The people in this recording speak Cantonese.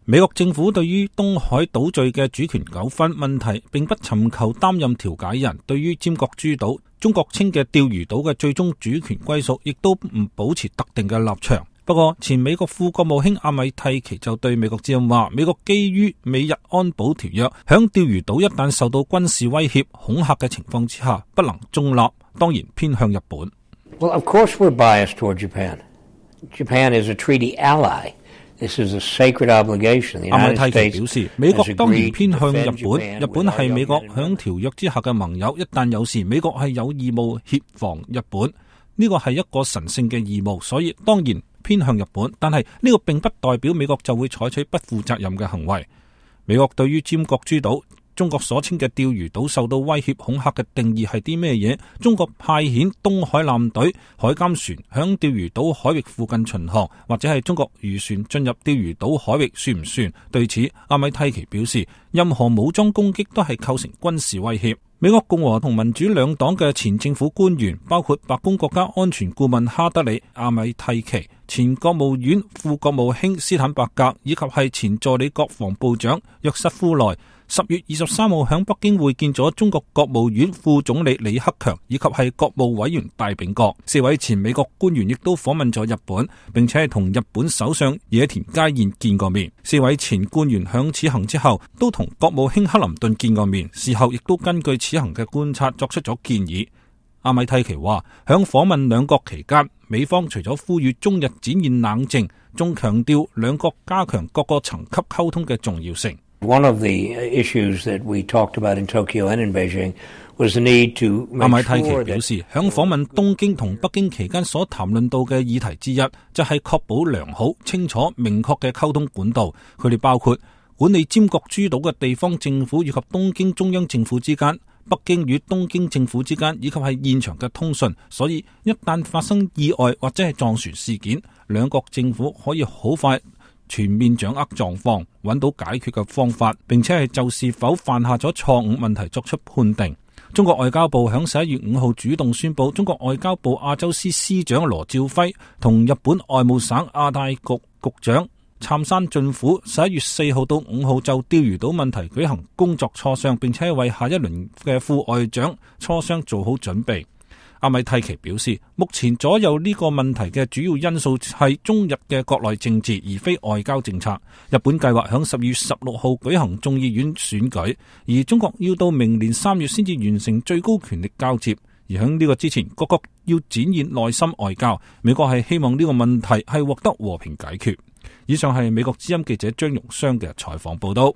美國政府對於東海島嶼嘅主權糾紛問題，並不尋求擔任調解人。對於尖閣諸島，中國稱嘅釣魚島嘅最終主權歸屬，亦都唔保持特定嘅立場。不過，前美國副國務卿阿米蒂奇就對美國之音話，美國基於美日安保條約，響釣魚島一旦受到軍事威脅、恐嚇嘅情況之下，不能中立，當然偏向日本。Well, of course we're biased toward Japan. Japan is a treaty ally.This is a sacred obligation. 阿米蒂奇表示，美國當然偏向日本，日本係美國響條約之下嘅盟友，一旦有事，美國係有義務協防日本，呢個係一個神聖嘅義務，所以當然偏向日本。但係呢個並不代表美國就會採取不負責任嘅行為。美國對於尖閣諸島，中國所稱嘅釣魚島受到威脅恐嚇嘅定義係啲咩嘢？中國派遣東海艦隊海監船響釣魚島海域附近巡航，或者係中國漁船進入釣魚島海域，算唔算？對此，阿米蒂奇表示，任何武裝攻擊都係構成軍事威脅。美國共和同民主兩黨嘅前政府官員，包括白宮國家安全顧問哈德里、阿米蒂奇、前國務院副國務卿斯坦伯格，以及係前助理國防部長約瑟夫內，10月23號響北京會見咗中國國務院副總理李克強，以及係國務委員戴秉國。4位前美國官員亦都訪問咗日本，並且係同日本首相野田佳彥見過面。4位前官員響此行之後，都同國務卿克林頓見過面，事後亦都根據此行嘅觀察作出咗建議。阿米蒂奇話，響訪問兩國期間，美方除咗呼籲中日展現冷靜，仲強調兩國加強各個層級溝通嘅重要性。One of the issues that we talked about in Tokyo and in Beijing was the need to make sure that 阿米蒂奇表示，響訪問東京同北京期間所談論到嘅議題之一，就係確保良好、清楚、明確嘅溝通管道。佢哋包括管理尖閣諸島嘅地方政府以及東京中央政府之間，北京與東京政府之間，以及係現場嘅通訊。所以一旦發生意外或者係撞船事件，兩國政府可以好快全面掌握狀況，揾到解決嘅方法，並且係就是否犯下咗錯誤問題作出判定。中國外交部響11月5號主動宣布，中國外交部亞洲司司長羅照輝同日本外務省亞太局局長杉山俊虎11月4號到5號就釣魚島問題舉行工作磋商，並且為下一輪嘅副外長磋商做好準備。阿米蒂奇表示，目前左右呢個問題嘅主要因素係中日嘅國內政治，而非外交政策。日本計劃響12月16號舉行眾議院選舉，而中國要到明年3月先至完成最高權力交接。而響呢個之前，各國要展現內心外交。美國係希望呢個問題係獲得和平解決。以上係美國之音記者張容湘嘅採訪報道。